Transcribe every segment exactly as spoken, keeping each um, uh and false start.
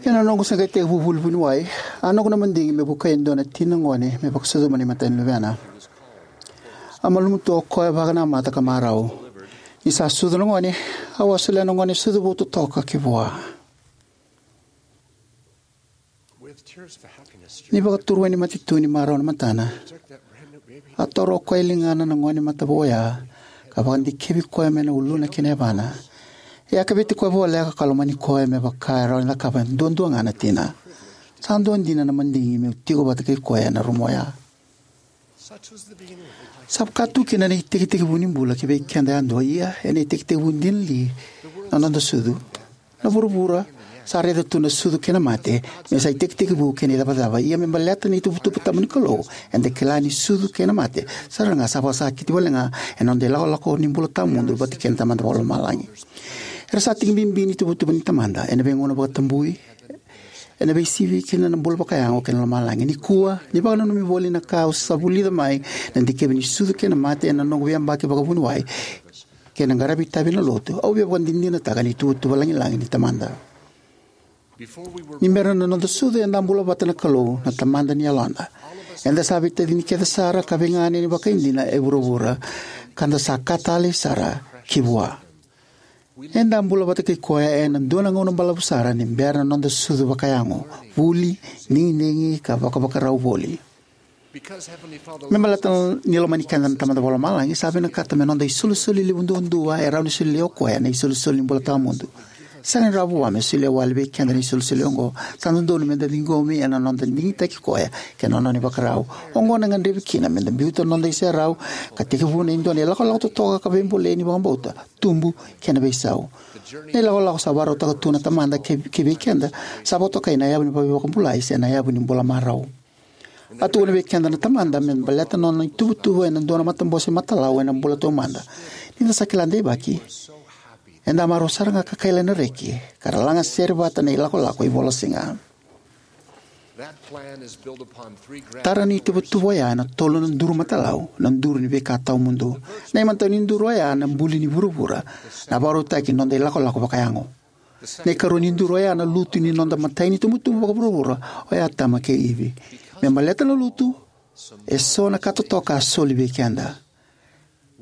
Ena noqu se qai tekivu vuli vuniwai, a noqu na madigi me vukei e dua na tina gone me vakasucuma na imatai ni luvena. A malumu tu o koya vakanamata ka marau. Ni sa sucu na gone, au a solia na gone sucu vou totoka ki vua. Ni vakaturu wai ni mate tu ni marau na matana, a taura o koya e ligana na gone matavu oya ka vakadikevi koya mai na uluna ki na yavana. E a keveti koya voleka ka lomani koya me vaka e rawa ni cakava duadua ga na tina. Sa dua dina na madigi meu tiko vata kei koya ena rumu oya. Sa vaka tu kina na itekitekivu ni bula ki vei keda yadua, ia ena itekitekivu dina li na noda sucu? Na vuravura sa raica tu na sucu kei na mate me sa itekitekivu kei na icavacava, ia me baleta na ituvatuva tabu ni Kalou, eda kila ni sucu kei na mate sara ga sa vakasakiti wale ga ena noda ilakolako ni bula tawamudu vata kei na Tamada Vakalomalagi. Era sa tiki bibi ni ituvatuva ni Tamada ena veigauna vakatabui, ena veisivi kina na bula vakayago kei na lomalagi. Nikua, ni vakananumi voli na ka au sa vulica mai na dikevi ni sucu kei na mate ena noqu veiyabaki vakavuniwai kei na qaravi itavi ena lotu, au via vakadinadinataka na ituvatuva lagilagi ni Tamada. Ni bera na noda sucu, eda a bula vata na Kalou, na Tamada ni yaloda. Eda sa veitacini kece sara ka veiganeni vakaidina e vuravura, ka da sa ka talei sara ki vua. Eda a bula vata kei koya ena dua na gauna balavu sara ni bera na noda sucu vakayago, vuli, digidigi, ka vakavakarau voli. Me baleta ni lomani keda na Tamada Vakalomalagi, sa vinakata me noda isolisoli levu duadua e rawa ni solia o koya na isolisoli ni bula tawamudu. Sega ni rawa vua me solia wale vei keda na isolisoli oqo. Sa dodonu meda ciqomi ena noda digitaki koya kei na nona ivakarau. Oqo na gadrevi kina meda biuta na noda iserau ka tekivuna e dua na ilakolako totoka ka veibolei ni vakabauta, tubu, kei na veisau. Na ilakolako sa vakarautaka tu na Tamada kei, kei vei keda sa vakatokai na yavu ni veivakabulai se na yavu ni bula marau. A tukuna vei keda na Tamada me baleta na nona ituvatuva ena dua na matabose matalau ena bula taumada. Ni da sa kila deivaki, eda a marau sara ga ka kaila na reki ka ra lagasere vata na ilakolako ivolasiga. Tara ni ituvatuva oya ena tolu na duru matalau, na duru ni veika tawamudu. Na imatai ni duru oya na buli ni vuravura, na vakarautaki ni noda ilakolako vakayago. Na ikarua ni duru oya na lutu ni noda imatai ni tubutubu vakavuravura, oya Atama kei Ivi. Me baleta na lutu, eso na ka totoka a soli vei keda.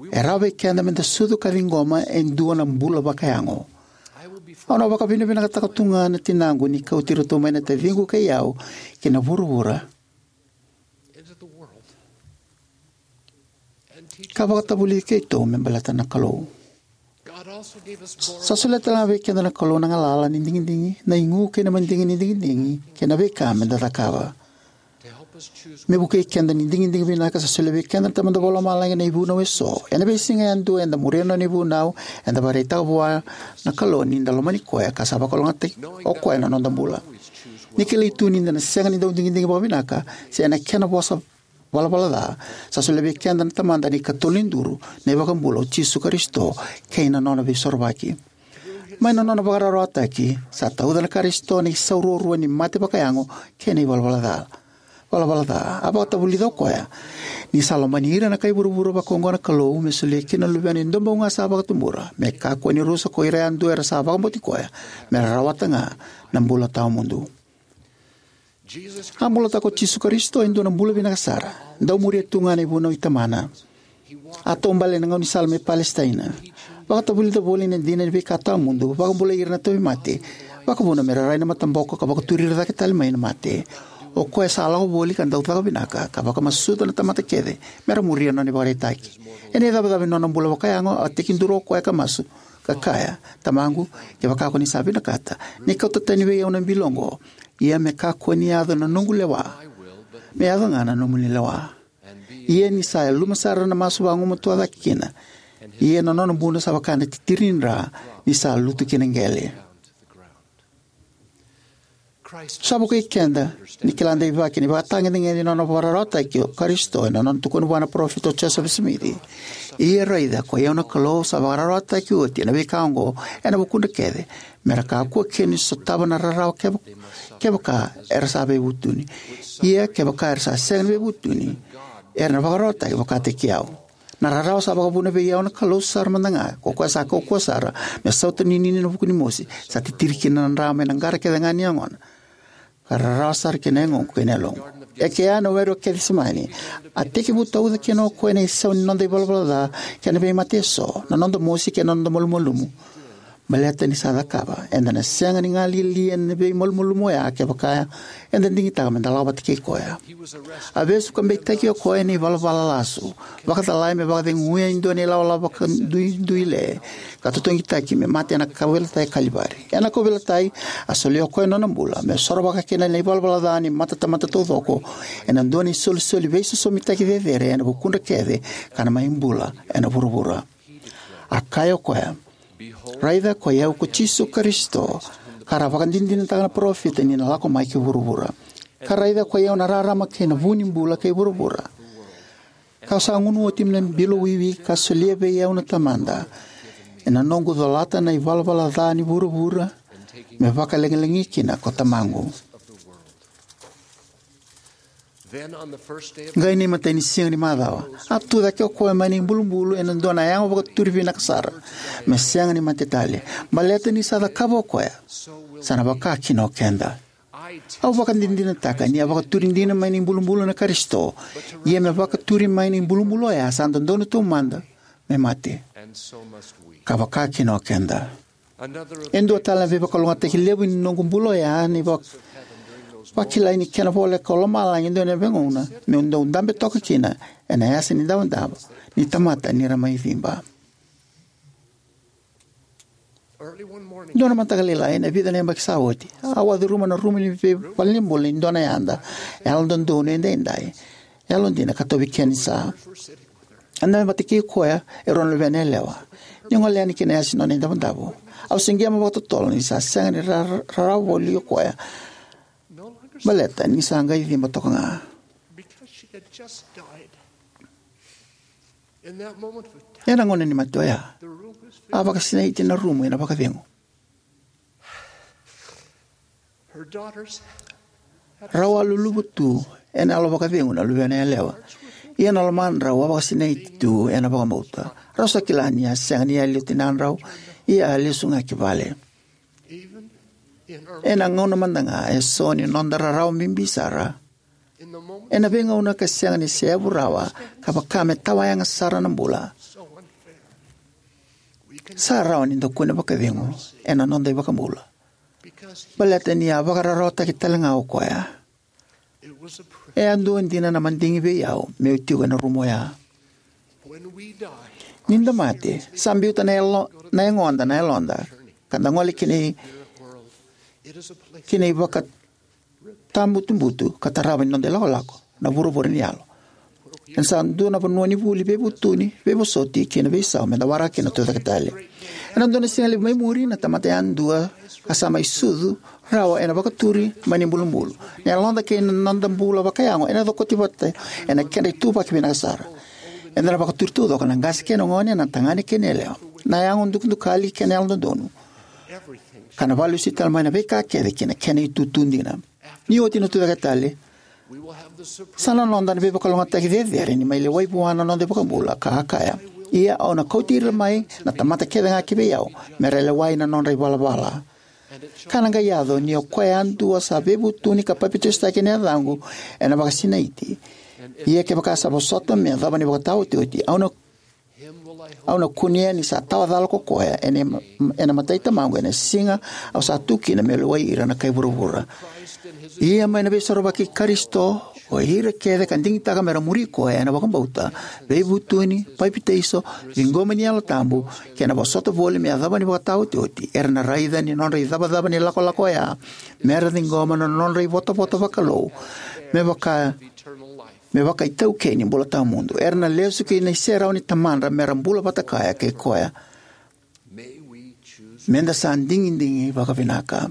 E rawa vei keda meda sucu ka ciqoma e dua na bula vakayago. Au na vakavinavinakataka tu ga na tinaqu ni kauti iratou mai na taciqu kei au ki na vuravura ka vakatavulici keitou me baleta na Kalou. Sa solia tale ga vei keda na Kalou na galala ni digidigi, na igu kei na madigi ni digidigi, kei na veika meda cakava. Me vukei keda ni digidigi vinaka, sa solia vei keda na Tamada Vakalomalagi na ivunau eso. Ena veisiga yadua eda muria na nona ivunau, eda vakaraitaka vua na Kalou ni da lomani koya ka sa vakalougatataki o koya na noda bula. Ni kilai tu ni da na sega ni dau digidigi vakavinaka, se ena kena vosa valavala ca, sa solia vei keda na Tamada na ikatolu ni duru, na iVakabula o Jisu Karisito, kei na nona Veisorovaki. Mai na nona vakararawataki, sa tauca na Karisito na isau ruarua ni mate vakayago kei na ivalavala ca. Valavala ca. A vakatavulica o koya ni sa lomani ira na kai vuravura vakaoqo na Kalou, me solia kina na Luvena e dua bau ga sa vakatubura, me kakua ni rusa ko ira yadua era sa vakabauti koya, me ra rawata ga na bula tawamudu. A bulataka o Jisu Karisito e dua na bula vinaka sara, dau muria tu ga na ivunau i Tamana. A taubale ena gaunisala mai Palesitaina. Vakatavulica voli na dina ni veika tawamudu, vakabulai ira na tauvimate, vakavuna me ra rai na mataboko ka vakaturi ira cake tale mai na mate. O koya sa lako voli ka dau caka vinaka, ka vakamasuta na tamata kece me ra muria na nona ivakaraitaki. Ena icavacava ni nona bula vakayago, a tekiduru o koya ka masu, ka kaya, Tamaqu, kevaka ko ni sa vinakata, ni kauta tani vei au na bilo oqo, ia me kakua ni yaco na noqu lewa, me yaco ga na nomuni lewa. Ia ni sa yaluma sara na masu vagumatua cake kina, ia na nona buno sa vaka na titiri ni dra ni sa lutu ki na qele. Sa vukei keda ni kila deivaki na ivakatagedegede ni nona vakararawataki o Karisito ena nona tukuna vua na parofita o Josefa Simici. Ia raica, koi au na Kalou sa vakararawataki oti ena veika oqo ena vukudra kece, me ra kakua kina ni sotava na rarawa keva-, kevaka era sa veivutuni. Ia kevaka era sa sega ni veivutuni, era na vakararawataki vakataki au. Na rarawa sa vakavuna vei au na Kalou sara mada ga, ko koya sa kaukauwa sara, me sautaninini ena vuku ni mosi, sa titiri kina na dra mai na qara kece ga ni yagona, ka rarawa sara kina yagoqu kei na yaloqu. E kea ena Were o Kecisemani, a tekivu tauca kina o koya na isau ni noda ivalavala ca kei na veimate eso, na noda mosi kei na noda malumalumu. Baleta ni sa cakava, eda na sega ni galili ena veimalumalumu oya kevaka eda digitaka meda lako vata kei koya. A vesu ka beitaki o koya ena ivalavala lasu, vakacalai me vakaceguya e dua na ilawalawa vakaduiduile, ka totogitaki me mate ena kauveilatai e Kalivari. Ena kauveilatai, a solia o koya na nona bula me sorovaka kina na ivalavala ca ni matatamata taucoko ena dua na isolisoli veisosomitaki cecere ena vukudra kece, ka na mai bula ena vuravura. A kaya o koya, "Raica, koi au ko Jisu Karisito, ka ra vakadinadinataka na parofita ni na lako mai ki vuravura. Ka raica, koi au na rarama kei na vu ni bula kei vuravura. Kau sa gunu oti mai na bilo wiwi ka solia vei au na Tamada, ena noqu colata na ivalavala ca ni vuravura, me vakalagilagi kina ko Tamaqu." Qai na imatai ni siga ni macawa, a tucake o koya mai na ibulubulu ena dua na yago vakaturi vinaka sara, me sega ni mate tale, baleta ni sa cakava o koya, sa na vaka kina o keda. Au vakadinadinataka ni a vakaturi dina mai na ibulubulu na Karisito, ia me vakaturi mai na ibulubulu oya sa dodonu taumada me mate. Ka vaka kina o keda. E dua tale na veivakalougatataki levu ni noqu bula oya na ivak-, vakilai ni kena voleka o lomalagi e dua na veigauna meu dau dabe toka kina ena yasa ni davodavo ni tamata ni ra mai ciba. Dua na mataka lailai ena vica na yabaki sa oti, au a curuma na rumu ni veivalenibula ni dua na yada yalododonu edaidai, yalodina ka tauvi kena isa. Eda mai vata kei koya e rua na luvena yalewa. Ni gole yani ki na yasa ni nona idavodavo, au siqema vakatotolo ni sa sega ni ra-, rarawa voli o koya, baleta ni sa qai ciba toka ga. Ena gauna ni mate oya, a vakasinaiti na rumu ena vakacegu. Rau a luluvu tu ena yalo vakacegu na luvena yalewa, ia na lomadrau a vakasinaiti tu ena vakabauta. Rau sa kila ni a sega ni yali o tinadrau, ia a lesu ga ki vale. Ena gauna mada ga eso ni noda rarawa bibi sara, ena veigauna ka sega ni seyavu rawa, ka vaka me tawayaga sara na bula, sa rawa ni da kune vakacegu ena noda iVakabula, baleta ni a vakararawataki tale ga o koya. E a dua dina na madigi vei au meu tiko ena rumu oya. Ni da mate, sa biuta na yalo-, na yagoda na yaloda, ka da gole ki na i-, ki na ivakatabutubutu ka tarava ni noda ilakolako, na vuravura ni yalo. Ena sa dua na vanua ni vuli, veivutuni, veivosoti kei na veisau me da waraka kina na Tucaketale. Ena dua na siga levu mai muri, na tamata yadua ka sa mai sucu rawa ena vakaturi mai na ibulubulu. Na yaloda kei na noda bula vakayago ena cokoti vata ena kedra ituvaki vinaka sara. Eda na vakaturi taucoko, na qase kei na gone, na tagane kei na yalewa, na yago dukadukali kei na yalododonu, ka na vakalesui tale mai na veika kece ki na kena itutu dina. Ni oti na Tucaketale, sa na noda na veivakalougatataki cecere ni mai lewai vua na noda iVakabula, ka a kaya, "Ia au na kauti ira mai na tamata kece ga ki vei au, me ra lewai na nodra ivalavala. Ka na qai yaco ni o koya yadua sa veivutuni ka papitaisotaki ena yacaqu, ena vakasinaiti. Ia kevaka sa vosota me yacova na ivakataotioti, au na, au na kunea ni sa tawacala ko koya ena, ena matai Tamaqu ena siga au sa tu kina meu lewai ira na kai vuravura." Ia mai na Veisorovaki i Karisito, o ira kece ka digitaka me ra muri koya ena vakabauta, veivutuni, papitaiso, ciqomi ni Yalo Tabu, kei na vosota voli me yacova na ivakataotioti, era na raica ni nodra icavacava ni lakolako oya me ra ciqoma na nodra ivotavota vakalou me vaka, me vakaitaukei ni bula tawamudu. Era na lesu ki na iserau ni Tamadra me ra bula vata kaya kei koya. Me da sa digidigi vakavinaka.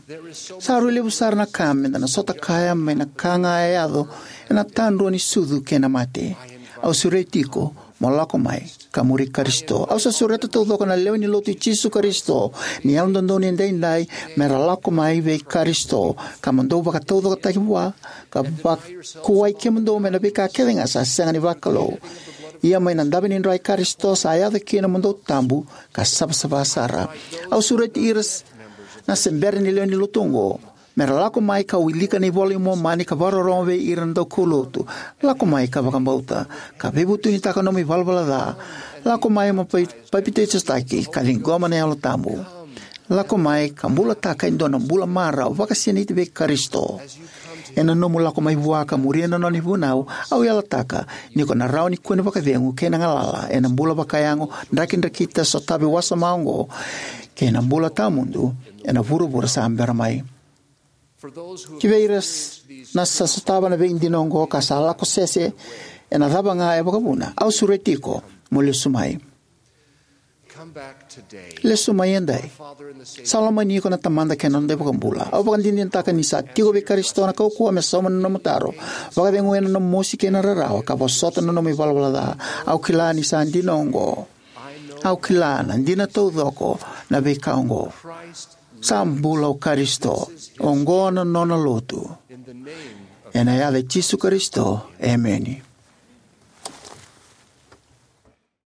Sa rui levu sara na ka me da na sota kaya mai na ka ga e yaco ena tadrua ni sucu kei na mate. Au sureti iko mo lako mai ka muri Karisito. Au sa sureta taucoko na lewe ni Lotu i Jisu Karisito ni Yalododonu Edaidai me ra lako mai vei Karisito, ka mo dou vakataucokotaki vua, ka vakuwai kemudou mai na veika kece ga sa sega ni vakalou. Ia mai na dave ni dra i Karisito sa yaco kina mo dou tabu ka savasava sara. Au sureti ira na se bera ni lewe ni lotu oqo me ra lako mai ka wilika na iVola i Momani ka vakarorogo vei ira na daukaulotu. Lako mai ka vakabauta ka veivutunitaka na nomu ivalavala ca. Lako mai mo papitaisotaki ka ciqoma na Yalo Tabu. Lako mai ka bulataka e dua na bula marau vakasinaiti vei Karisito. Ena nomu lako mai vua ka muria na nona ivunau, au yalataka ni ko na rawa ni kune vakacegu kei na galala ena bula vakayago, drakidrakita, sotavi wasoma oqo kei na bula tawamudu ena vuravura sa bera mai. Ki vei ira na sa sotava na veidina oqo ka sa lako sese ena cava ga e vakavuna, au sureti iko mo lesu mai. Lesu mai edai. Sa lomani iko na Tamada kei na noda iVakabula. Au vakadinadinataka ni sa tiko vei Karisito na kaukauwa me sauma na nomu taro, vakacegua ena nomu mosi kei na rarawa, ka vosota na nomu ivalavala ca. Au kila ni sa dina oqo. Au kila na dina taucoko na veika oqo. Sa bula o Karisito. Oqo na nona lotu. Ena yaca i Jisu Karisito, emeni.